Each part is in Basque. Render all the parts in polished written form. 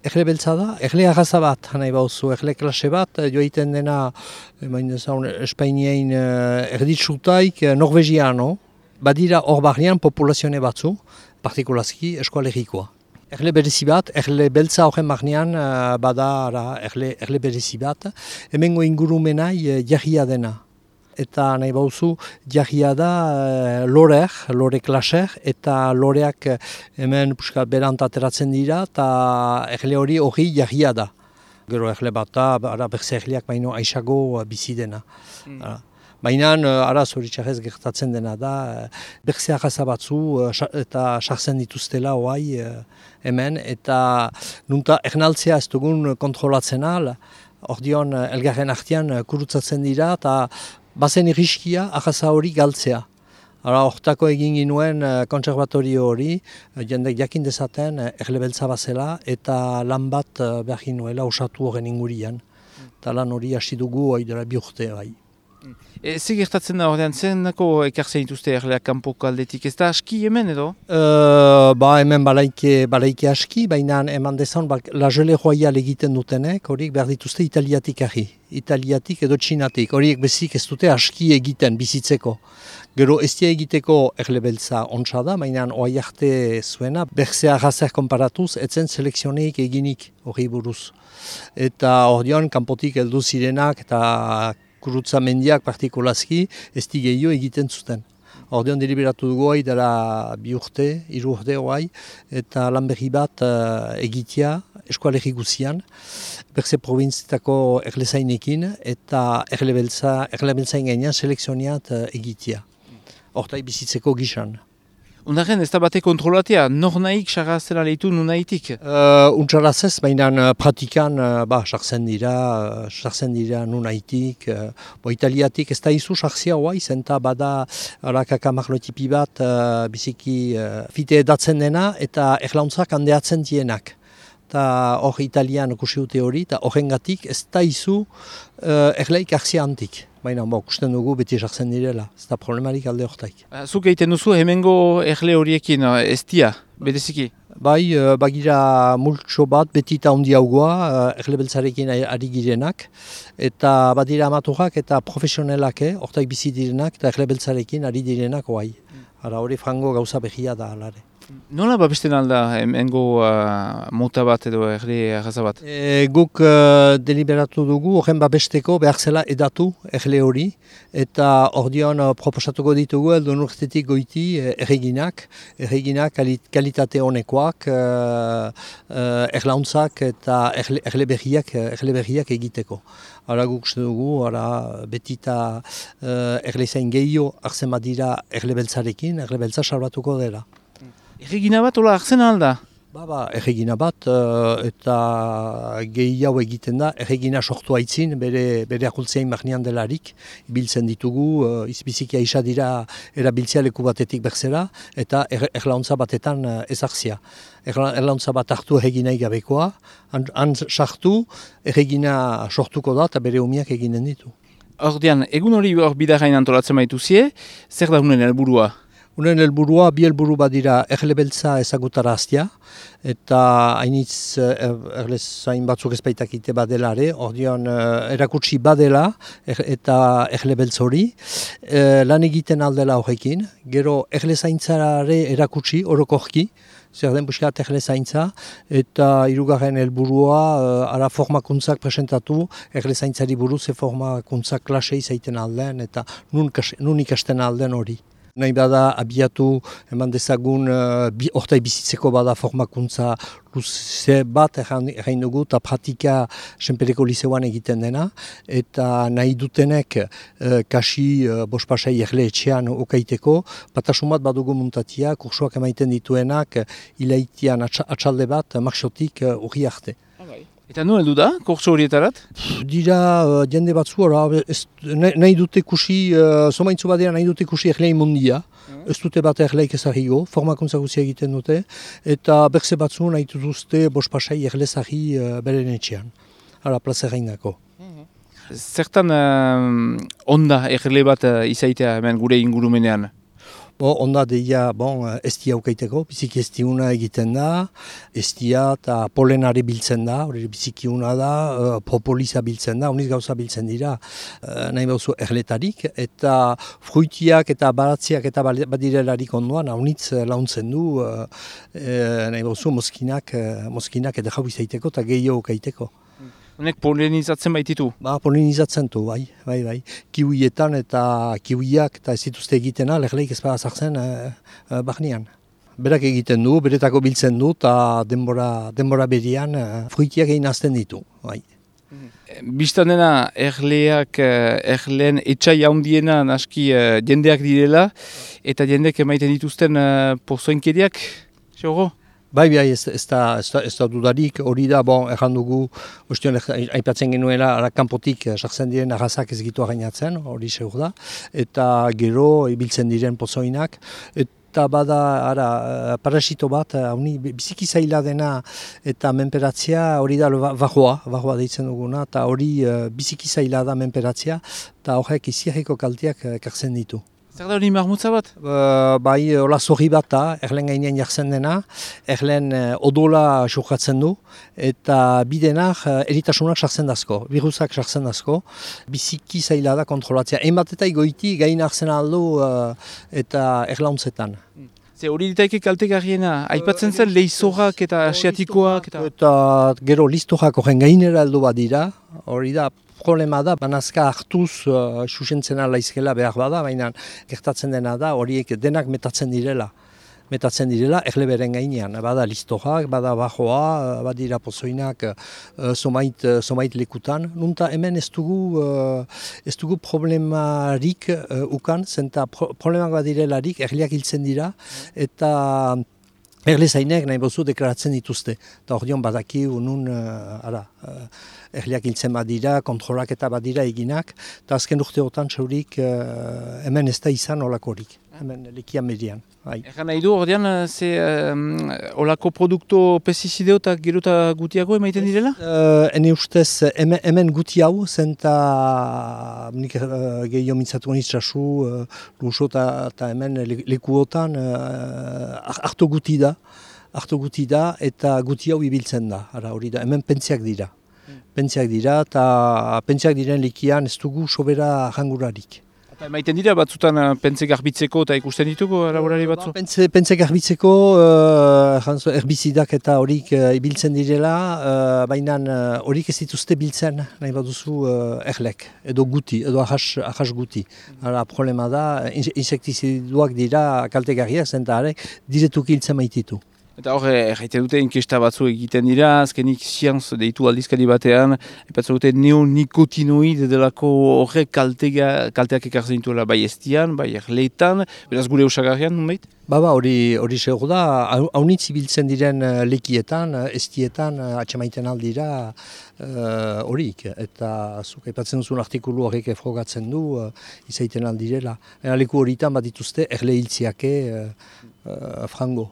Erle beltza da, erle arraza bat, nahi bauzu, erle klase bat, joiten dena, Espainiain erditsutaik norvegiano, badira hor barrian populazione batzu, partikulazki eskualerikoa. Erle berezi bat, erle beltza horren barnean bada erle berezi bat, hemengo ingurumenai jarria dena. Eta nahi bauzu, jarria da lore klaser, eta loreak hemen berant ateratzen dira, eta erle hori jarria da. Gero erle bat da, berze erleak baino aisago bizi dena. Baina zoritxarrez gertatzen dena da, berze arraza batzu eta sartzen dituztela hoai hemen, eta nunta ernaltzea ez dugun kontrolatzen al, ordion elgarren artean kurutzatzen dira, eta bazen irriskia arraza hori galtzea. Hortako egin ginuen kontserbatorio hori, jendek jakin dezaten erle beltza bazela eta lan bat behar ginuela osatu horren ingurian. Eta lan hori hasi dugu hori dela 2 urte bai. Zer gertatzen da ordean, zenako ekartzen dituzte erleak kanpoko aldetik, ez da aski hemen edo? Hemen balaike aski, baina eman dezan la jele royal egiten dutenek, horiek behar dituzte italiatik ahi. Italiatik edo txinatik, horiek bezik ez dute aski egiten bizitzeko. Gero ez dia egiteko erle beltza ontsa da, baina oai arte zuena, berze arrazer konparatuz, etzen selekzioneik eginik hori buruz. Eta ordean kanpotik heldu zirenak eta kurutza mendiak partikulazki ez gehiago egiten zuten. Ordean deliberatu dugu hori dela 2 urte, 3 urte hori, eta lan berri bat egitea eskualerri guzian, berze provintzitako erlezainekin eta erle beltzain gainean selekzioniat egitea. Hortai bizitzeko gisan. Ondaren ez da bate kontrolatea, nor nahik sarrazela lehitu nun nahitik? Untsaraz ez, baina pratikan sartzen dira nun nahitik. Italiatik ez da izu sartzia hoa, izenta bada kakamarlotipi bat biziki fite edatzen dena eta erlauntzak handeatzen dienak. Eta hor italian kusi dute hori, eta horrengatik ez da izu erleik hartzia antik. Baina, kusten dugu beti sartzen direla, ez da problemarik alde hortaik. Zuk egiten duzu hemengo erle horiekin ez dia, bedeziki? Bai, bagira multso bat beti eta ondi haugoa erle beltzarekin ari girenak, eta badira amaturak eta profesionelak, hortaik bizi direnak eta erle beltzarekin ari direnak hoai. Hori frango gauza behia da alare. Nola babesten alda hemengo mota bat edo erle arraza bat? Guk deliberatu dugu horren babesteko behar zela edatu erle hori, eta ordean proposatuko ditugu edo urtetik goiti erreginak kalitate honekoak, erlauntzak eta erle berriak egiteko. Hora guk uste dugu, beti eta erle zain gehiago hartzen badira erle beltzarekin, erle beltza salbatuko dela. Erregina bat hola hartzen alda? Erregina bat eta gehiago egiten da, erregina sortu haitzin, bere akultzein marnean delarik, ibiltzen ditugu, izbizikia isa dira erabiltzea leku batetik berzera, eta erlauntza batetan ezartzia. Erlauntza bat hartu erregina igabekoa, han sartu, erregina sortuko da eta bere umiak eginen ditu. Ordean, egun hori bidarain antolatzen baituzie, zer da unen helburua? Unen helburua, bi helburu badira erle beltza ezagutaraztia, eta hainitz erlezain batzuk ezbaitakite badelare, ordean erakutsi badela eta erle beltz hori, lan egiten aldela horrekin, gero erlezaintzare erakutsi orokorki, zer den buskat erlezaintza, eta 3. helburua formakuntzak presentatu, erlezaintzari buruz formakuntzak klase izaiten alden, eta nun ikasten alden hori. Nahi bada abiatu eman dezagun hortai bizitzeko bada formakuntza luze bat egin dugu eta pratika Senpereko Lizeoan egiten dena eta nahi dutenek kasi bospasai erle etxean okaiteko batasun bat badugu muntatia kursuak emaiten dituenak ilaitian atxalde bat marxotik urri arte. Eta nu heldu da, kurtso horietarat? Dira jende batzu, nahi dute kusi, somaintzu badera nahi dute kusi erlein mundia, ez dute bat erleik ezagigo, formakuntza guzia egiten dute, eta berze batzu nahi dute bospasai erlezagi beren etxean, plazerainako. Zertan onda erle bat izaitea hemen gure ingurumenean? Onda deia, estia ukaiteko, biziki estiuna egiten da, estia eta polenari biltzen da, hori biziki una da, propolisa biltzen da, uniz gauza biltzen dira, nahi bauzu erletarik, eta fruitiak eta baratziak eta badirelarik ondoan, unitz launtzen du, nahi bauzu moskinak eta jau izaiteko eta gehiago ukaiteko. Honek polenizatzen baititu? Polenizatzen du, bai. Kiwietan eta kiwiak eta ez dituzte egitena, lehleik ez bada zartzen barnean. Berak egiten du, beretako biltzen du, eta denbora berian fruitiak egin azten ditu, bai. Bistan dena erleen etxai handiena naski jendeak direla, eta jendeak emaiten dituzten pozoinkeriak, xorro? Bai, ez da dudarik, hori da, erran dugu, aipatzen genuela, kanpotik sartzen diren arrazak ez gitu gainatzen, hori seur da, eta gero ibiltzen diren pozoinak, eta bada parasito bat, biziki zaila dena eta menperatzea, hori da bajoa deitzen duguna, eta hori biziki zaila da menperatzea, eta horrek iziarriko kalteak ekartzen ditu. Zer da hori marmutza bat? Bai, hola zorri bat da, erlen gainean jartzen dena, erlen odola xokatzen du, eta bidenak eritasunak sartzen dazko, virusak sartzen dazko, biziki zaila da kontrolatzea. Einbat eta igoiti gain hartzen aldu eta erlauntzetan. Hori ditaike kaltegarriena, aipatzen zen leizorrak eta asiatikoak? Eta gero listorak horren gainera aldu bat dira, hori da, problema da, banazka hartuz susentzen alaizkela behar bada, baina gertatzen dena da, horiek denak metatzen direla, erleberen gainean. Bada listorak, bada bajoa, badira pozoinak somait lekutan. Nunta hemen ez dugu problemarik ukan, zenta problemak badirelarik erliak hiltzen dira, eta erlezainek nahi bozu deklaratzen dituzte. Eta hor dion badaki unun erliak hiltzen badira, kontrolak eta badira eginak, eta azken urteotan txaurik hemen ez da izan olakorik, hemen lekian median. Egan nahi du, ordean, olako produkto pestizideo eta gero eta gutiago emaiten direla? Hene ustez, hemen guti hau, zenta nik gehiago mintzatu nitzazu, luso eta hemen lekuotan hartu guti da eta guti hau ibiltzen da, hori da, hemen pentziak dira. Eta pentziak diren likian ez dugu sobera jangurarik. Eta emaiten dira batzutan pentze garbitzeko eta ikusten dituko laborari batzu? Pentze garbitzeko herbizidak eta horik ibiltzen direla, baina horik ez dituzte biltzen nahi baduzu erlek, edo guti, edo ahas guti. Problema da, insektiziduak dira kaltegarriak, zenta diretuki hiltzen maititu. Eta hor, erraite dute inkesta batzu egiten dira, azkenik sianz deitu aldizkari batean, epatzen dute neonikotinoid delako horrek kalteak ekartzen dituela bai estian, bai erleetan, beraz gure osagarrian, nunbait? Hori segur da, haunitz ibiltzen diren lekietan, estietan, atxemaiten aldira horik, eta zuk aipatzen duzun artikulu horrek frogatzen du, izaiten aldirela. Leku horitan bat dituzte erle hiltziake frango.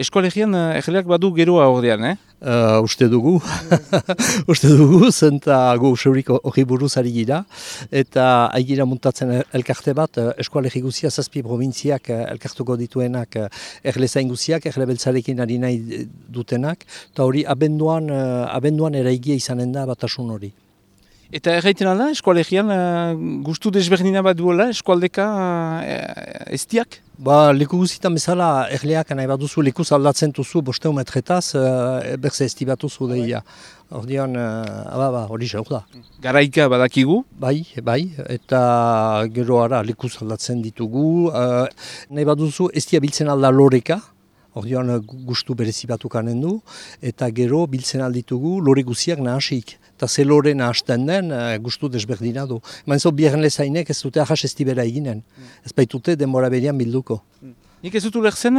Eskoalegian erleak badu geroa ordean, Uste dugu, zenta gu seurik hori buruz ari gira, eta aigira muntatzen elkarte bat, eskualegi guzia 7 provintziak elkartuko dituenak erlezain guziak, erlebeltzarekin ari nahi dutenak, eta hori abenduan eraigia izanen da batasun hori. Eta erraiten alda, eskualegian gustu desberdina bat duela, eskualdeka estiak? Leku guzitan bezala erleak nahi bat duzu, lekuz aldatzen duzu 500 metretaz, berze esti bat duzu deia. Ordean, hori xauk da. Garaika badakigu? Bai, eta gero lekuz aldatzen ditugu. Nahi bat duzu, estia biltzen alda loreka. Ordean gustu berezi batukanen du, eta gero biltzen alditugu lore guziak nahasik. Eta ze lore nahasten den gustu desberdina du. Mainzo biherren lezainek ez dute ahas estibera eginen. Ez baitute denbora berian bilduko. Nik ez dut ulertzen,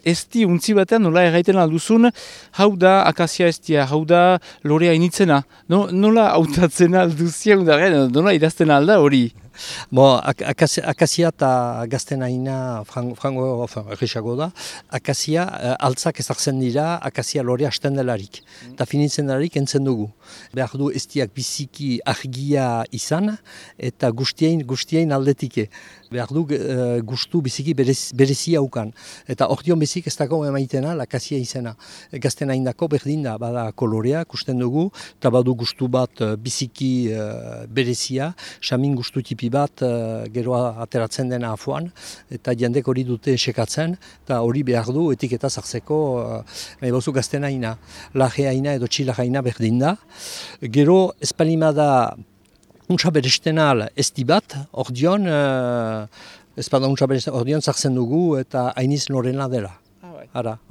esti untzi batean nola erraiten alduzun, hau da akazia estia, hau da lorea initzena. Nola hautatzen alduzia, nola idazten alda hori? Akazia eta gaztenaina frango erresago da. Akazia altzak ezartzen dira, akazia lore hasten delarik. Eta finitzen delarik entzen dugu. Behar du estiak biziki argia izan eta guztien aldetike. Behar du gustu biziki berezia ukan. Eta ordion bezik ez dago emaitena akazia izena. Gaztenaindako berdin da, bada kolorea, kusten dugu, eta badu gustu bat biziki berezia, samin gustu tipi bat geroa ateratzen dena afuan, eta jendek hori dute sekatzen, eta hori behar du etiketa zartzeko bozu gaztenaina. Lajeaina edo txilajaina berdin da. Gero espalimada untsa berestenal esti bat, ordion, ezpada untsa berestenal, ordion zartzen dugu eta hainiz norena dela.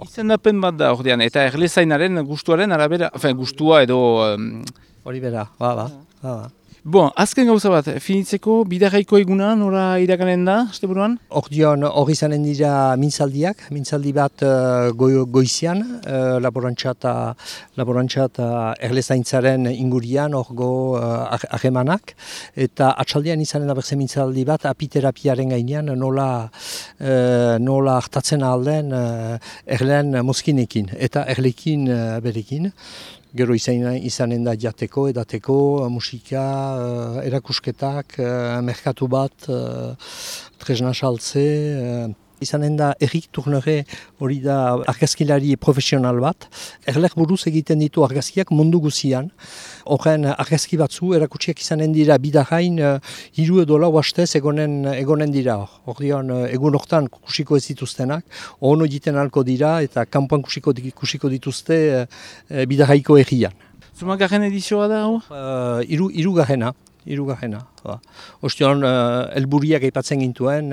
Izendapen bat da ordean, eta erlezainaren gustuaren arabera, gustua edo... Hori bera, ba. Bon, azken gauza bat, finitzeko bidarraiko eguna nora iraganen da, asteburuan? Ordion hori zanen dira mintzaldi bat goizian, laborantza eta erlezaintzaren ingurian orgo ahemanak, eta atxaldean izanen da berze mintzaldi bat apiterapiaren gainean nola hartatzen alden erleen mozkinekin eta erlekin berekin. Gero izanen da jateko, edateko, musika, erakusketak, merkatu bat, tresna saltze. Izanen da Erik Turnere hori da argazkilari profesional bat. Erlek buruz egiten ditu argazkiak mundu guzian. Horren argazki batzu erakutsiak izanen dira bidarrain 3 edo 4 hastez egonen dira. Ordion egun hortan kusiko ez dituztenak, ono egiten halko dira eta kanpoan kusiko dituzte bidarraiko egian. Zumagarren edizioa da hor? Hirugarrena. Ostion, helburiak aipatzen gintuen,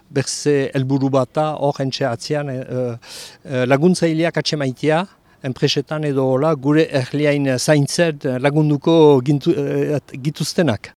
berze helburu bata hor entxe atzean laguntzaileak atxemaitea, enpresetan edo gure erliain zaintzet lagunduko gituztenak.